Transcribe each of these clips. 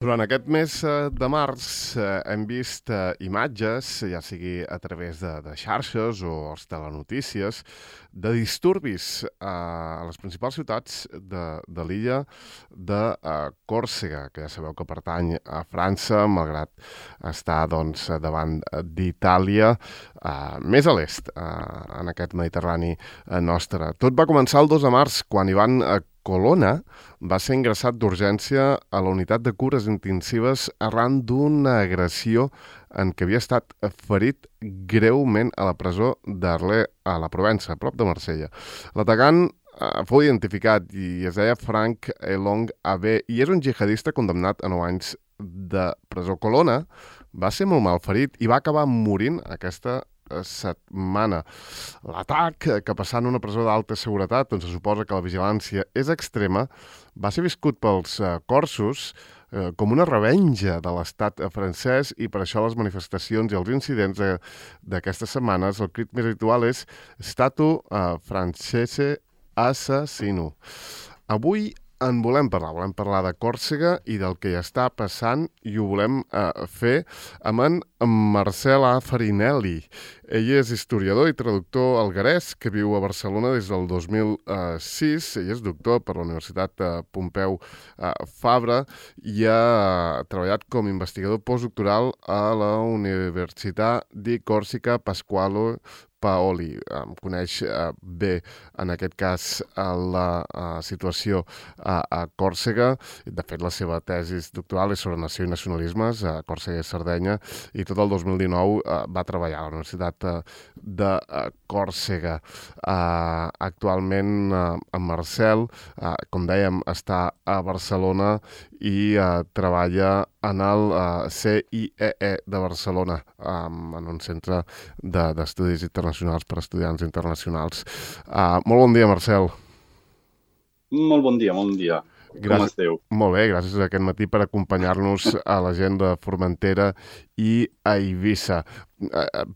Durant aquest mes de març hem vist imatges, ja sigui a través de xarxes o els telenotícies, de disturbis a les principals ciutats de l'illa de Còrsega, que ja sabeu que pertany a França, malgrat estar davant d'Itàlia, més a l'est, en aquest Mediterrani nostre. Tot va començar el 2 de març, quan Ivan Colonna va ser ingressat d'urgència a la unitat de cures intensives arran d'una agressió en què havia estat ferit greument a la presó d'Arlé, a la Provença, a prop de Marsella. L'atacant fou identificat i es deia Frank Elong Abe i és un jihadista condemnat a 9 anys de presó. Colonna va ser molt mal ferit i va acabar morint aquesta setmana. L'atac, que passant una presó d'alta seguretat, on se suposa que la vigilància és extrema, va ser viscut pels corsos com una revenja de l'estat francès i per això les manifestacions i els incidents d'aquestes setmanes, el crit més habitual és Statu francese assassino. Avui volem parlar de Còrsega i del que hi està passant i ho volem fer amb en Marcel A. Farinelli. Ell és historiador i traductor alguerès que viu a Barcelona des del 2006. Ell és doctor per la Universitat Pompeu Fabra i ha treballat com a investigador postdoctoral a la Universitat di Còrsega Pasquale Paoli. Coneix bé, en aquest cas, la situació a Còrsega. De fet, la seva tesi doctoral és sobre nació i nacionalismes a Còrsega i Sardenya, i tot el 2019 va treballar a la Universitat de Còrsega. Actualment, en Marcel, com dèiem, està a Barcelona i treballa en el CIEE de Barcelona, en un centre d'estudis internacionals per a estudiants internacionals. Molt bon dia, Marcel. Molt bon dia, molt bon dia. Com esteu? Molt bé, gràcies aquest matí per acompanyar-nos a la gent de Formentera i a Eivissa.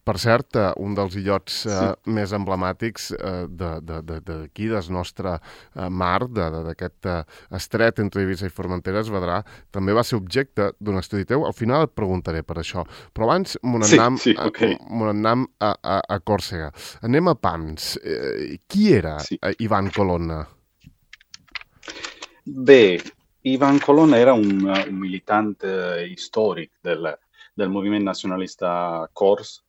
Per cert, un dels illots més emblemàtics d'aquí, del nostre mar, d'aquest estret entre Eivissa i Formentera, Esvedrà, també va ser objecte d'un estudi teu. Al final et preguntaré per això. Però abans m'ho n'anem a Còrsega. Anem a pams. Qui era Ivan Colonna? Bé, Ivan Colonna era un militant històric del moviment nacionalista cors,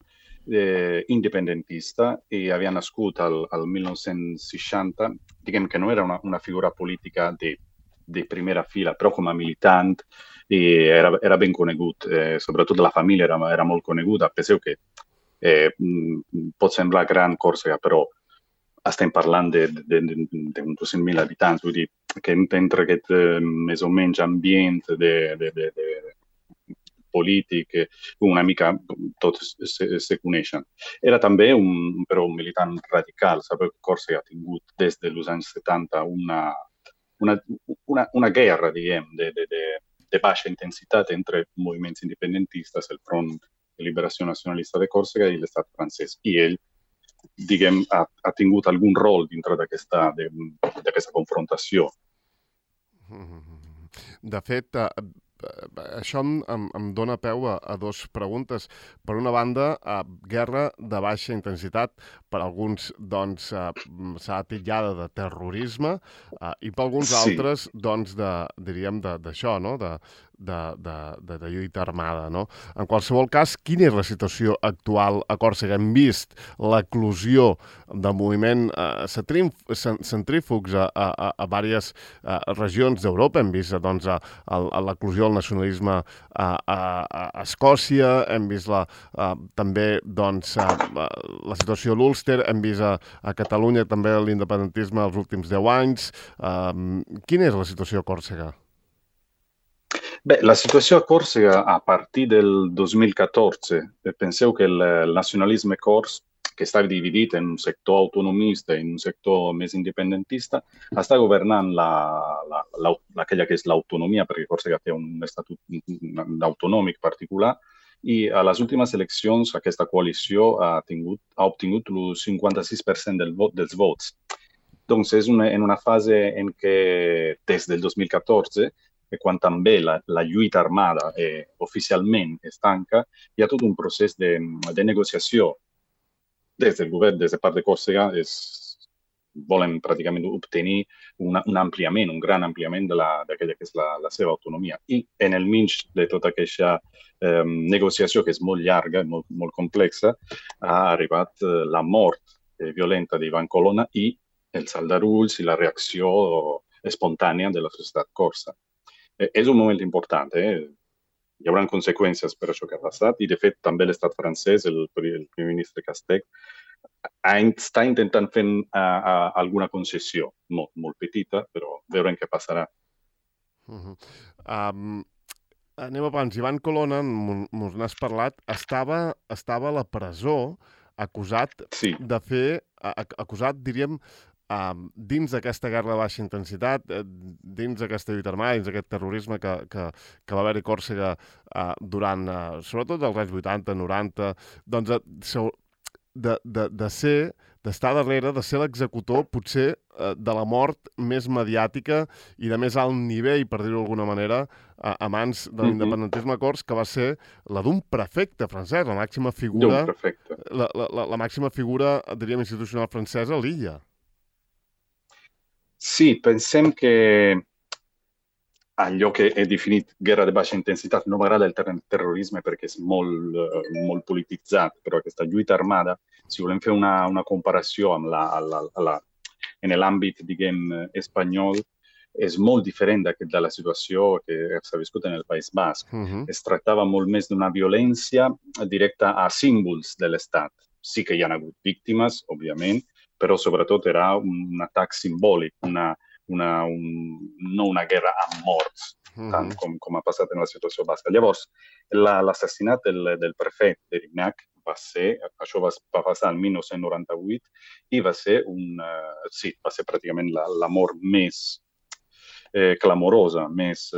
independentista, i havia nascut al 1960. Diguem que no era una figura política de primera fila, però com a militant era ben conegut. Sobretot la família era molt coneguda. Penseu que pot semblar gran Còrsega, però estem parlant d'uns 200.000 habitants, vull dir que entre aquest més o menys ambient de polític, una mica tots se coneixen. Era també un militant radical. Sabeu que Còrsega ha tingut des dels anys 70 una guerra, diguem, de baixa intensitat entre moviments independentistes, el Front de Liberació Nacionalista de Còrsega i l'estat francès. I ell, diguem, ha tingut algun rol dintre d'aquesta confrontació. De fet, això em dona peu a dues preguntes. Per una banda, guerra de baixa intensitat, per alguns s'ha titllada de terrorisme, i per alguns altres diríem d'això, no? De lluita armada, no? En qualsevol cas, quina és la situació actual a Còrsega? Hem vist l'eclosió del moviment centrífugs a diverses regions d'Europa. Hem vist l'eclosió del nacionalisme a Escòcia, hem vist també la situació a l'Ulster, hem vist a Catalunya també l'independentisme els últims 10 anys. Quina és la situació a Còrsega? Beh, la situació a Còrsega a partir del 2014, penseu que el nacionalisme cors, que està dividit en un sector autonomista i en un sector més independentista, està governant aquella que és l'autonomia, perquè Còrsega té un estatut autonòmic particular, i a les últimes eleccions aquesta coalició ha obtingut el 56% dels vots. Doncs és en una fase en què, des del 2014, e quan també la lluita armada oficialment es tanca, hi ha tot un procés de negociació des del govern, des de part de Còrsega, volen pràcticament obtenir un ampliament, un gran ampliament d'aquella que és la seva autonomia. I en el mig de tota aquesta negociació, que és molt llarga, molt, molt complexa, ha arribat la mort violenta d'Ivan Colonna i els aldarulls i la reacció espontània de la societat corsa. És un moment important, hi haurà conseqüències per això que ha passat, i de fet també l'estat francès, el primer ministre Castex, està intentant fer alguna concessió, molt, molt petita, però veurem què passarà. Anem abans. Ivan Colonna, mos n'has parlat, estava a la presó acusat de fer, acusat, diríem, dins d'aquesta guerra de baixa intensitat, dins d'aquesta lluita armada, dins d'aquest terrorisme que va haver-hi a Còrsega durant, sobretot els anys 80, 90, doncs d'estar darrere, de ser l'executor, potser, de la mort més mediàtica i de més alt nivell, per dir-ho d'alguna manera, a mans de l'independentisme cors, que va ser la d'un prefecte francès, la màxima figura, la màxima figura, diríem, institucional francesa a l'illa. Sí, pensem que allò que he definit guerra de baixa intensitat, no m'agrada el terrorisme perquè és molt polititzat, però aquesta lluita armada, si volem fer una comparació amb en l'àmbit, diguem, espanyol, és molt diferent de la situació que s'ha viscut en el País Basc. Es tractava molt més d'una violència directa a símbols de l'Estat. Sí que hi ha hagut víctimes, òbviament, però sobretot era un atac simbòlic, no una guerra amb morts, tant com ha passat en la situació basca. Llavors, l'assassinat del prefecte d'Erignac això va passar el 1998 i va ser pràcticament la mort més clamorosa, més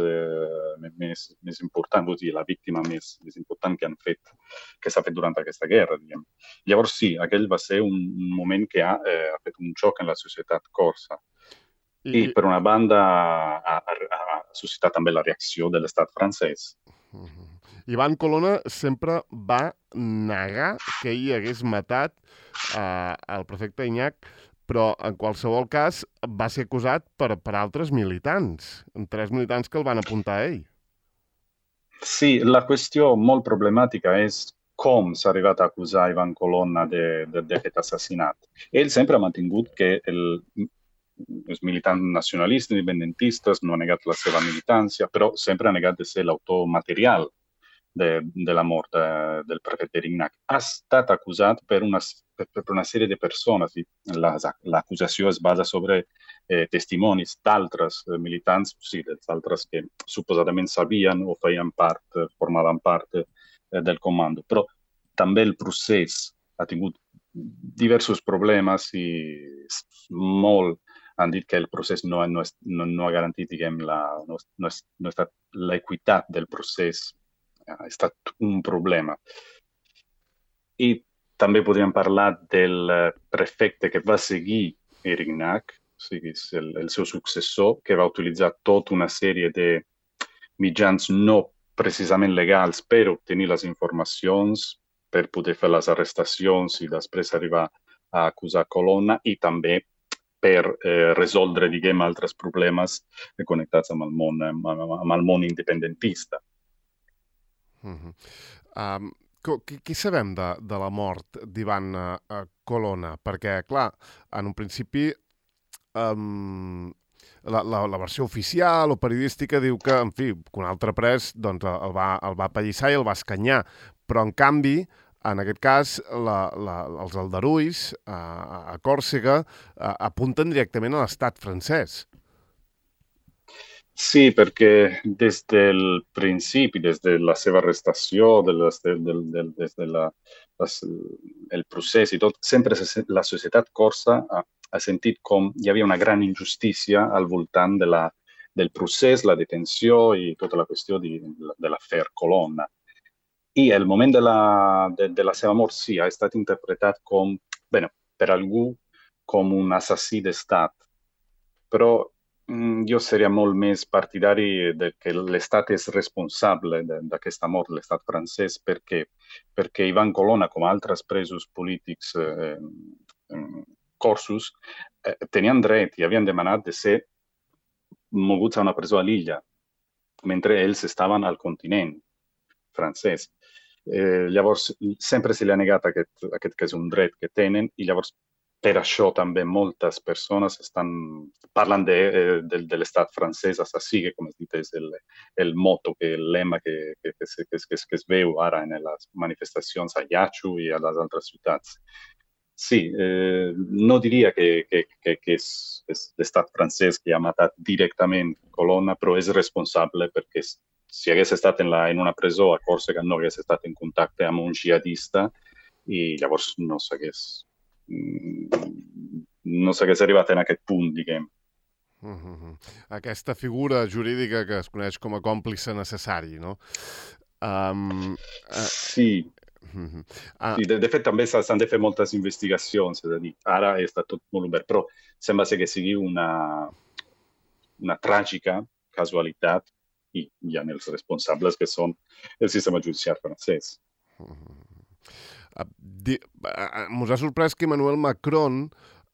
important, vull dir, la víctima més important que s'ha fet durant aquesta guerra, diguem. Llavors, sí, aquell va ser un moment que ha fet un xoc en la societat corsa. I per una banda ha suscitat també la reacció de l'estat francès. Ivan Colonna sempre va negar que ell hagués matat el prefecte Ignac, però en qualsevol cas va ser acusat per altres militants, 3 militants que el van apuntar a ell. Sí, la qüestió molt problemàtica és com s'ha arribat a acusar Ivan Colonna d'aquest assassinat. Ell sempre ha mantingut que els militants nacionalistes, independentistes, no ha negat la seva militància, però sempre ha negat de ser l'autor material de la mort del prefecte d'Erignac. Ha estat acusat per una sèrie de persones. L'acusació es basa sobre testimonis d'altres militants, sí, dels altres que suposadament sabien o formaven part del comando. Però també el procés ha tingut diversos problemes i molt han dit que el procés no ha garantit, diguem, l'equitat del procés. Ha estat un problema. I també podríem parlar del prefecte que va seguir Erignac, o sigui, el seu successor, que va utilitzar tota una sèrie de mitjans no precisament legals per obtenir les informacions, per poder fer les arrestacions i després arribar a acusar Colonna, i també per resoldre, diguem, altres problemes connectats amb el món independentista. Què sabem de la mort d'Ivan Colonna? Perquè, clar, en un principi la versió oficial o periodística diu que, en fi, que un altre pres doncs, el va apallissar i el va escanyar. Però, en canvi, en aquest cas, els aldarulls a Còrsega apunten directament a l'estat francès. Sí, perquè des del principi, des de la seva arrestació, des del procés i tot, sempre la societat corsa ha sentit com hi havia una gran injustícia al voltant del procés, la detenció i tota la qüestió de l'afer Colonna. I el moment de la seva mort, sí, ha estat interpretat per algú com un assassí d'estat. Però Io sarei molt més partidari che l'Estat és responsable d'aquesta mort, l'Estat francès, perquè Ivan Colonna, com altres presos polítics corsos, tenien dret i havien demanat de ser moguts a una presó a l'illa, mentre ells estaven al continent francès. Llavors, sempre se li ha negat aquest que és un dret que tenen, i llavors per això també moltes persones parlen de l'estat francès assassí, que com has dit és el motto, el lema que es veu ara en les manifestacions a Yachou i a les altres ciutats. Sí, no diria que és l'estat francès que ha matat directament Colonna, però és responsable perquè si hagués estat en una presó a Còrsega no hagués estat en contacte amb un jihadista i llavors no s'hagués arribat en aquest punt, diguem. Aquesta figura jurídica que es coneix com a còmplice necessari, no? Sí. Sí, de fet també s'han de fer moltes investigacions, és a dir, ara està tot molt obert, però sembla ser que sigui una tràgica casualitat i hi ha els responsables que són el sistema judicial francès. Mos ha sorprès que Emmanuel Macron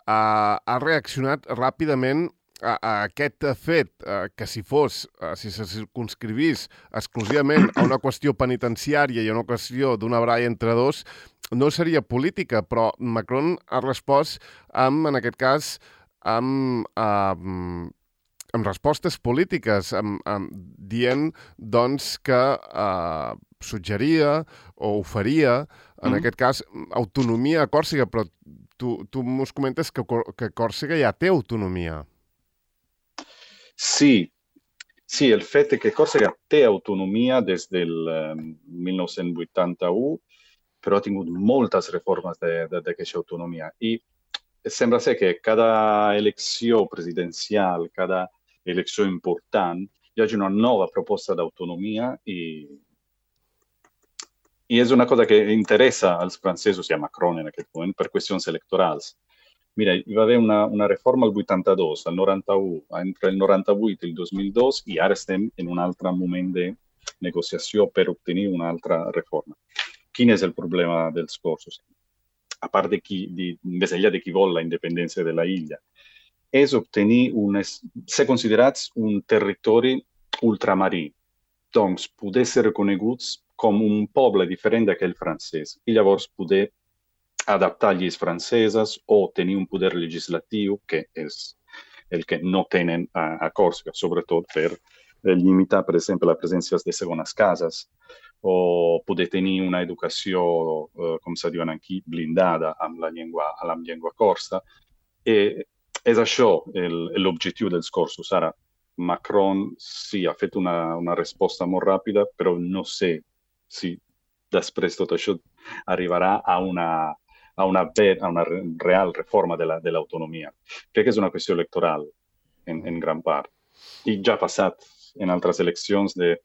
ha reaccionat ràpidament a aquest fet, que si se circunscrivís exclusivament a una qüestió penitenciària i a una qüestió d'una baralla entre dos, no seria política, però Macron ha respost en aquest cas, amb respostes polítiques, dient doncs, que suggeria o oferia, en aquest cas, autonomia a Còrsega, però tu mos comentes que Còrsega ja té autonomia. Sí, el fet que Còrsega té autonomia des del 1981, però ha tingut moltes reformes d'aquesta autonomia. I sembla ser que cada elecció presidencial, cada elecció important, hi hagi una nova proposta d'autonomia i és una cosa que interessa als francesos i a Macron en aquest moment per qüestions electorals. Mira, hi va haver una reforma al 82, al 91, entre el 98 i el 2002, i ara estem en un altre moment de negociació per obtenir una altra reforma. Quin és el problema dels corsos? A part més enllà de qui vol la independència de la illa, és obtenir ser considerats un territori ultramarí, doncs poder ser reconeguts com un poble diferent d'aquell francès, i llavors poder adaptar lleis franceses o tenir un poder legislatiu, que és el que no tenen a Còrsega, sobretot per limitar, per exemple, la presència de segones cases, o poder tenir una educació, com se diuen aquí, blindada amb la llengua corsa. És això l'objectiu dels corsos. Ara, Macron sí ha fet una resposta molt ràpida, però no sé si després tot això arribarà a una real reforma de l'autonomia. Crec que és una qüestió electoral en gran part. I ja ha passat en altres eleccions de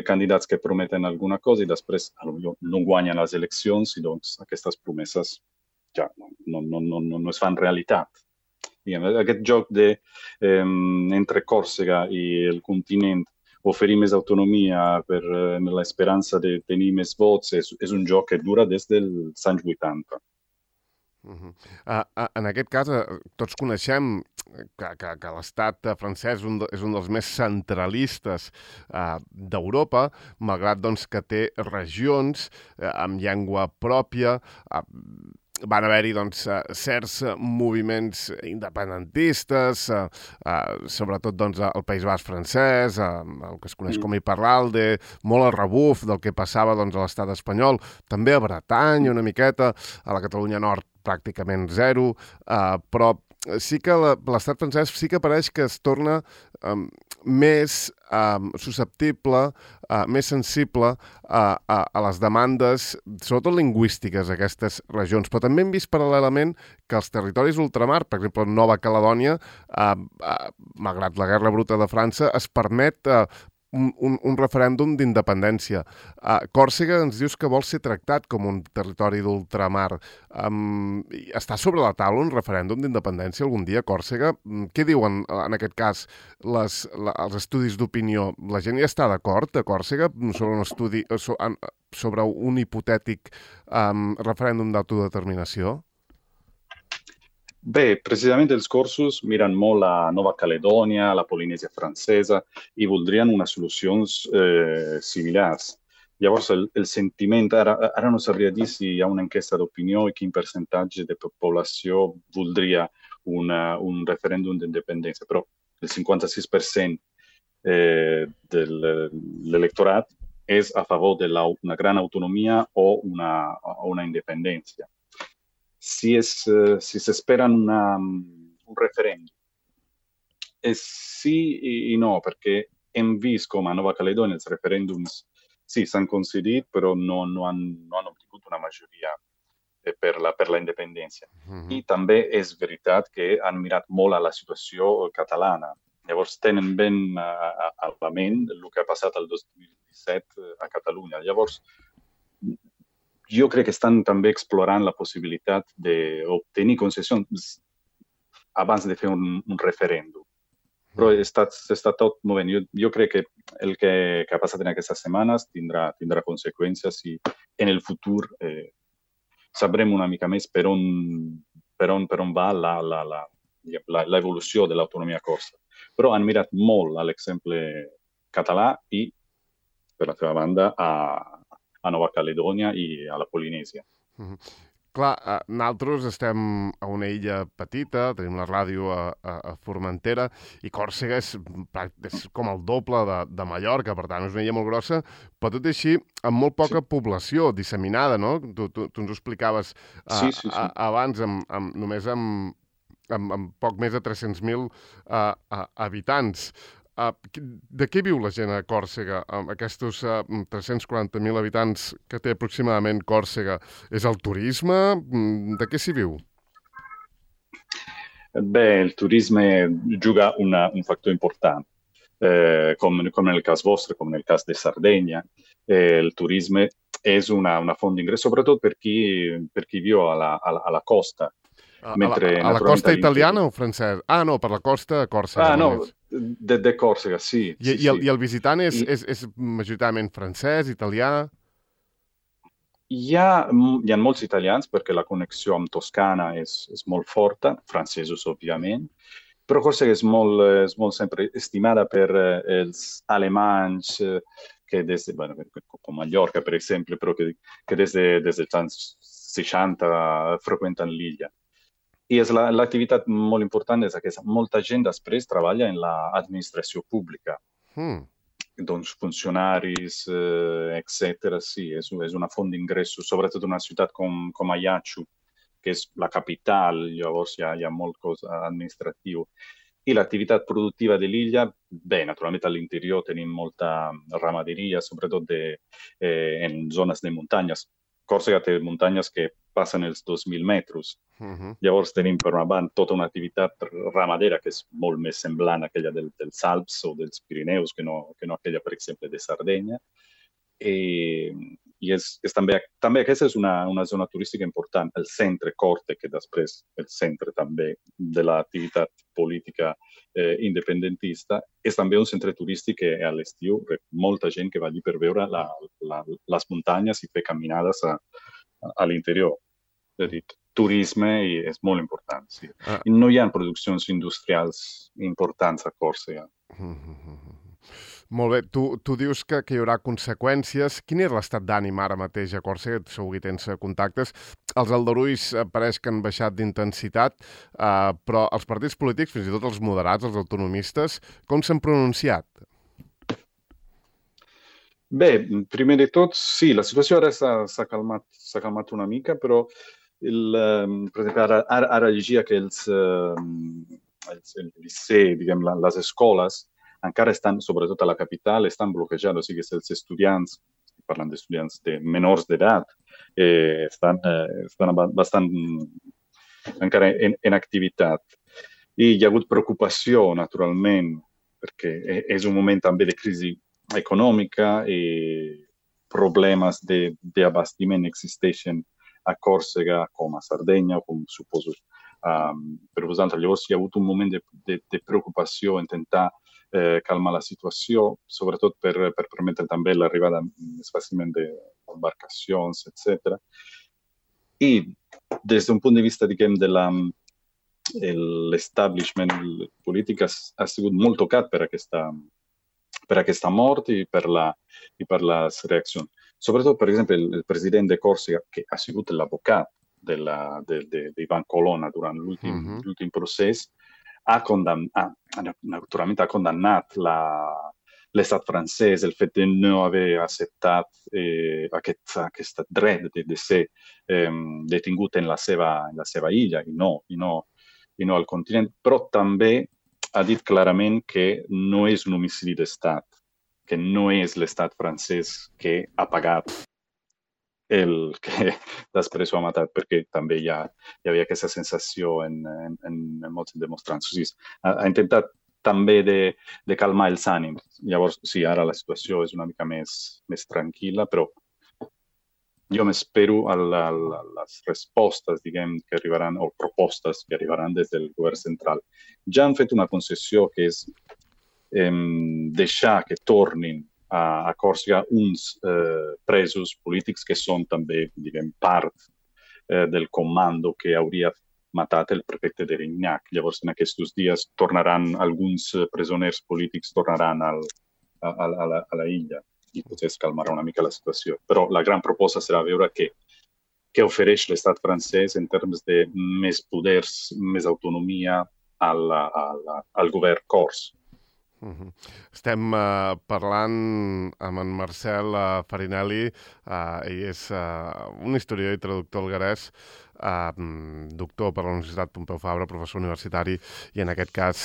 candidats que prometen alguna cosa i després no guanyen les eleccions i doncs aquestes promeses ja no es fan realitat. Aquest joc entre Còrsega i el continent, oferir més autonomia amb l'esperança de tenir més vots, és un joc que dura des dels anys 80. En aquest cas, tots coneixem que l'estat francès és un dels més centralistes d'Europa, malgrat doncs, que té regions amb llengua pròpia. Van haver-hi certs moviments independentistes, sobretot al País Basc francès, el que es coneix com Iparralde, molt al rebuf del que passava a l'estat espanyol, també a Bretanya una miqueta, a la Catalunya Nord pràcticament zero, però sí que l'estat francès sí que pareix que es torna més susceptible, més sensible a les demandes, sobretot lingüístiques, aquestes regions. Però també hem vist paral·lelament que els territoris ultramar, per exemple, Nova Caledònia, malgrat la guerra bruta de França, es permet un referèndum d'independència. Còrsega ens dius que vol ser tractat com un territori d'ultramar. Està sobre la taula un referèndum d'independència algun dia, Còrsega? Què diuen, en aquest cas, els estudis d'opinió? La gent ja està d'acord, a Còrsega, sobre un estudi, sobre un hipotètic referèndum d'autodeterminació? Beh, precisamente els corsos miren molt la Nova Caledònia, la Polinèsia francesa, i voldrien unes solucions similars. Llavors, el sentiment, ara no sabria dir si hi ha una enquesta d'opinió i quin percentatge de població voldria un referèndum d'independència, però el 56% de l'electorat és a favor d'una gran autonomia o una independència. Si se esperan un referèndum, sí i no, perquè hem vist com a Nova Caledònia els referèndums sí s'han concedit, però no han obtingut una majoria per la independència. I també és veritat que han mirat molt a la situació catalana. Llavors tenen ben a la ment el que ha passat el 2017 a Catalunya. Llavors, jo crec que estan també explorant la possibilitat d'obtenir concessions abans de fer un referèndum. Però està tot movent. Jo crec que el que ha passat en aquestes setmanes tindrà conseqüències i en el futur sabrem una mica més per on va l'evolució de l'autonomia corsa. Però han mirat molt a l'exemple català i, per la seva banda, a Nova Caledònia i a la Polinèsia. Clar, nosaltres estem a una illa petita, tenim la ràdio a Formentera, i Còrsega és com el doble de Mallorca, per tant, és una illa molt grossa, però tot i així, amb molt poca població disseminada, no? Tu ens ho explicaves abans, només amb poc més de 300.000 habitants. De què viu la gent a Còrsega, amb aquests 340.000 habitants que té aproximadament Còrsega? És el turisme? De què s'hi viu? Bé, el turisme juga un factor important. Com en el cas vostre, com en el cas de Sardegna, el turisme és una font d'ingrés, sobretot per qui viu a la costa. A la costa italiana o francesa? No, per la costa de Còrsega. No, de Còrsega, sí. I el visitant és majoritàriament francès, italià? Hi ha molts italians perquè la connexió amb Toscana és molt forta, francesos, òbviament, però Còrsega és molt sempre estimada per els alemanys que com Mallorca, per exemple, però que des dels anys 60 freqüenten l'illa. I l'activitat molt important és aquesta. Molta gent després treballa en l'administració pública. Doncs funcionaris, etc. Sí, és una font d'ingressos, sobretot en una ciutat com Ajaccio, que és la capital, llavors hi ha molt cosa administratiu. I l'activitat productiva de l'illa, bé, naturalment a l'interior tenim molta ramaderia, sobretot en zones de muntanyes. Còrsega té muntanyes que passen els 2.000 metres. Llavors tenim per una banda tota una activitat ramadera que és molt més semblant a aquella dels Alps o dels Pirineus que no aquella, per exemple, de Sardenya. I també aquesta és una zona turística important, el centre Corte, que després el centre també de l'activitat política independentista, és també un centre turístic que a l'estiu molta gent que va allí per veure les muntanyes i fer caminades a l'interior. És a dir, turisme és molt important, sí. I no hi ha produccions industrials importants a Còrsega. Molt bé, tu dius que hi haurà conseqüències. Quin és l'estat d'ànim ara mateix a Còrsega? Segur que tens contactes. Els aldarulls pareix que han baixat d'intensitat, però els partits polítics, fins i tot els moderats, els autonomistes, com s'han pronunciat? Bé, primer de tot, sí, la situació ara s'ha calmat una mica, però per exemple, ara llegia que el liceu, diguem, les escoles, encara estan, sobretot a la capital, estan bloquejats, o sigui que els estudiants, parlant d'estudiants menors d'edat, estan bastant encara en activitat. I hi ha hagut preocupació, naturalment, perquè és un moment també de crisi económica y problemas de abastecimiento existeixen a Còrsega com a Sardegna, com suposo. Per vosaltres, llavors hi ha hagut un moment de preocupació en tentar calmar la situació, sobretot per permetre també l'arribada més fàcilment d'embarcacions, etc. I des d'un punt de vista, diguem, l'establishment polític ha sigut molt tocat per aquesta mort i per les reaccions. Sobretot, per exemple, el president de Còrsega, que ha sigut l'advocat d'Ivan Colonna durant l'últim procés, naturalment ha condemnat l'estat francès, el fet de no haver acceptat aquest dret de ser detingut en la seva illa i no al continent, però també ha dit clarament que no és un homicidi d'estat, que no és l'estat francès que ha pagat el que després ho ha matat, perquè també hi havia aquesta sensació en molts demostrants. O sigui, ha intentat també de calmar els ànims. Llavors, sí, ara la situació és una mica més tranquil·la, però jo m'espero a les respostes, diguem, que arribaran, o propostes que arribaran des del govern central. Ja han fet una concessió que és deixar que tornin a Còrsega uns presos polítics que són també, diguem, part del comando que hauria matat el prefecte de Rignac. Llavors, en aquests dies, alguns presoners polítics tornaran a la illa i potser es calmarà una mica la situació. Però la gran proposta serà veure què ofereix l'estat francès en termes de més poders, més autonomia al govern cors. Estem parlant amb en Marcel Farinelli. Ell és un historiador i traductor alguerès, doctor per la Universitat Pompeu Fabra, professor universitari i en aquest cas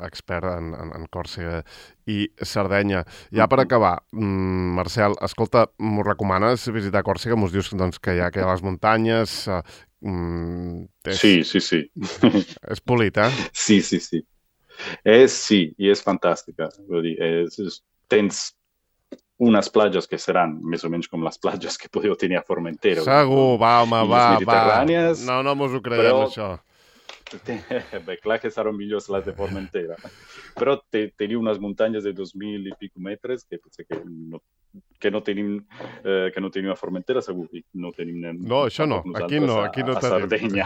expert en Còrsega i Sardenya. Ja per acabar, Marcel, escolta, m'ho recomanes visitar Còrsega? M'ho dius doncs, que hi ha les muntanyes... Sí. És polit, eh? Sí. Sí, i és fantàstica. Vull dir, tens unes platges que seran més o menys com les platges que podeu tenir a Formentera. Segur, va. No mos ho creiem, però... això. Bé, clar que seran millors les de Formentera. Però teniu unes muntanyes de 2.000 i pico metres que potser que no tenim a Formentera, segur. No tenim... No, això no. Aquí no tenim. A Sardenya.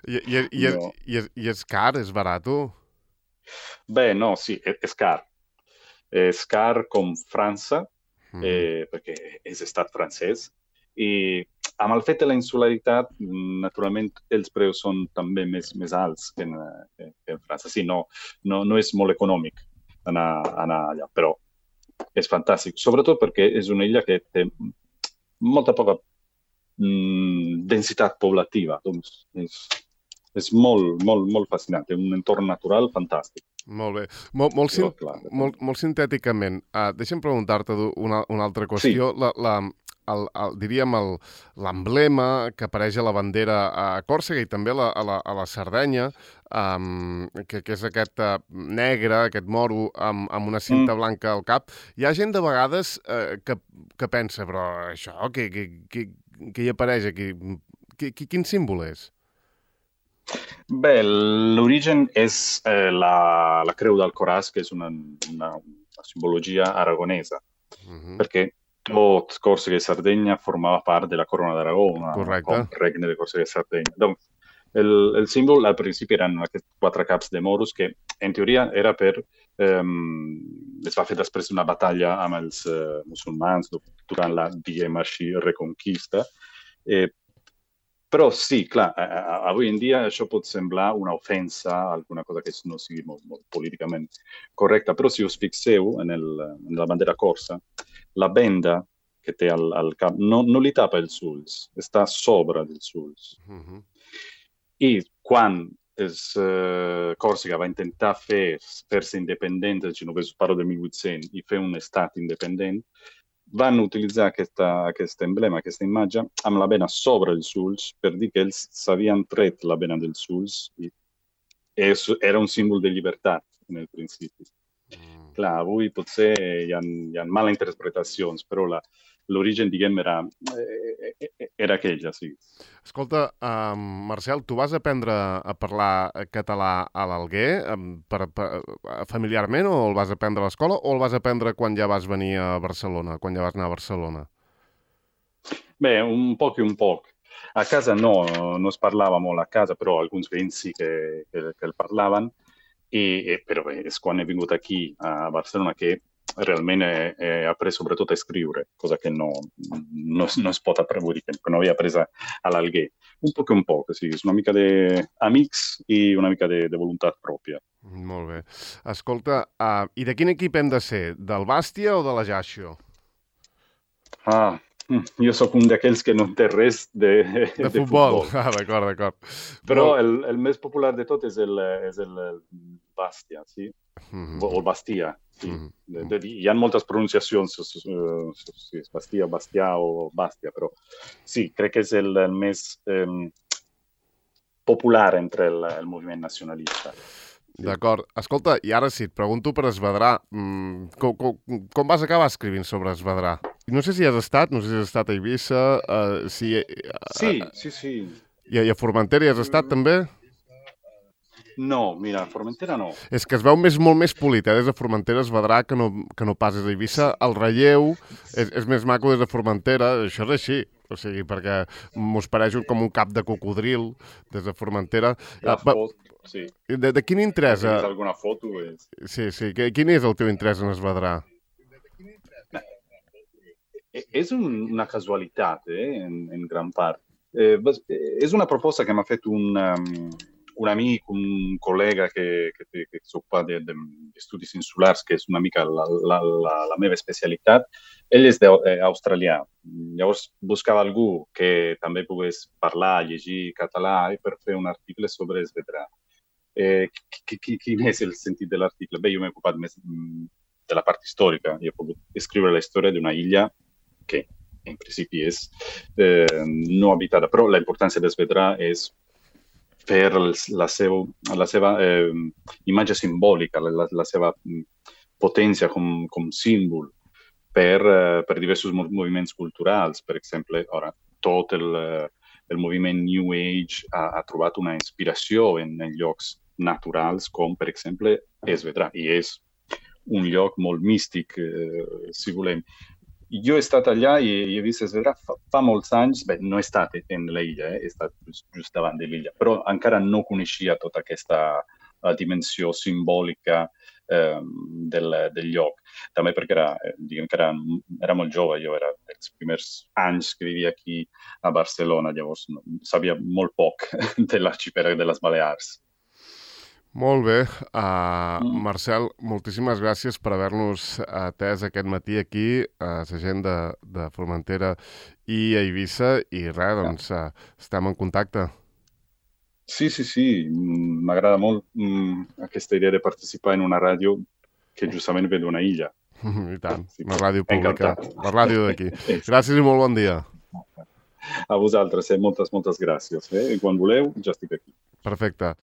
I és car? És barat? Bé, no, sí, és car. És car com França, perquè és estat francès, i amb el fet de la insularitat, naturalment, els preus són també més alts que en França. Sí, no és molt econòmic anar allà, però és fantàstic. Sobretot perquè és una illa que té molta poca densitat poblativa. Doncs és molt fascinant, té un entorn natural fantàstic. Molt bé. Molt sintèticament, deixa'm preguntar-te una altra qüestió. Sí. Diríem l'emblema que apareix a la bandera a Còrsega i també a la Sardenya, que és aquest negre, aquest moro, amb una cinta blanca al cap. Hi ha gent de vegades que pensa, però això, què hi apareix aquí? Quin símbol és? Bé, l'origen és la creu d'Alcoràs, que és una simbologia aragonesa, perquè tot Còrsega i Sardenya formava part de la Corona d'Aragó, com regne de Còrsega i Sardenya. Doncs, el símbol al principi eren aquests 4 caps de moros que en teoria era es va fer després d'una batalla amb els musulmans durant la, diguem així, reconquista. Però sí, clar, avui en dia això pot semblar una ofensa, alguna cosa que no sigui molt políticament correcta, però si us fixeu en la bandera corsa, la benda que té al cap no li tapa els ulls, està sobre dels ulls. I quan Còrsega va intentar fer-se independent, els genovesos, parlo del 1800, i fer un estat independent, van utilitzar aquest emblema, aquesta imatge, amb la bena sobre els ulls per dir que ells s'havien tret la bena dels ulls i era un símbol de llibertat en el principi. clar, avui potser hi ha mala interpretacions, però l'origen, diguem, era aquella, sí. Escolta, Marcel, tu vas aprendre a parlar català a l'Alguer familiarment, o el vas aprendre a l'escola, o el vas aprendre quan ja vas venir a Barcelona, quan ja vas anar a Barcelona? Beh, un poc e un poc. A casa no es parlava molt a casa, però alguns veïns sí que el parlaven, però bé, és quan he vingut aquí a Barcelona che realment he après sobretot a escriure, cosa che no es pot aprendre, que no havia après a l'Alguer. Un poc, sí, és una mica d'amics i una mica de voluntat pròpia. Molt bé. Escolta, i de quin equip hem de ser? Del Bàstia o de l'Ajaccio? Jo sóc un d'aquells que no té res de futbol. D'acord. Però el més popular de tot és el Bàstia, sí? O el Bastia, sí. Hi ha moltes pronunciacions, si és Bastia, Bastià o Bàstia, però sí, crec que és el més popular entre el moviment nacionalista. Sí. D'acord. Escolta, i ara sí, et pregunto per Esvedrà. Com vas acabar escrivint sobre Esvedrà? No sé si has estat a Eivissa, Sí. I a Formentera hi has estat també? No, mira, a Formentera no. És que es veu molt més polit, des de Formentera Esvedrà que no pas des d'Eivissa. El relleu és més maco des de Formentera, això és així. O sigui, perquè mos pareix com un cap de cocodril des de Formentera. Sí. De quin interès? Si tens alguna foto? Sí. Quin és el teu interès en Esvedrà? És una casualitat, en gran part. És una proposta que m'ha fet un amic, un col·lega que s'ocupa d'estudis insulars, que és una mica la meva especialitat. Ell és australià. Llavors buscava algú que també pogués parlar, llegir català per fer un article sobre Esvedrà. Quin és el sentit de l'article? Bé, jo m'he ocupat més de la part històrica. Jo he pogut escriure la història d'una illa que en principi és no habitada, però la importància d'Esvedrà és per la seva imatge simbòlica, la seva potència com símbol per diversos moviments culturals. Per exemple, ara, tot el moviment New Age ha trobat una inspiració en llocs naturals, com per exemple Esvedrà, i és un lloc molt místic, si volem. Jo he estat allà i he vist Esvedrà fa molts anys. Bé, no he estat en l'illa, he estat just davant de l'illa, però encara no coneixia tota aquesta dimensió simbòlica del lloc. També perquè era molt jove, jo era dels primers anys que vivia aquí a Barcelona, llavors sabia molt poc de l'arxipèlag de les Balears. Molt bé. Marcel, moltíssimes gràcies per haver-nos atès aquest matí aquí a la gent de Formentera i a Eivissa, i res, doncs estem en contacte. Sí, m'agrada molt aquesta idea de participar en una ràdio que justament ve d'una illa. I tant, una ràdio pública, la ràdio d'aquí. Gràcies i molt bon dia. A vosaltres, moltes gràcies. Quan voleu, ja estic aquí. Perfecte.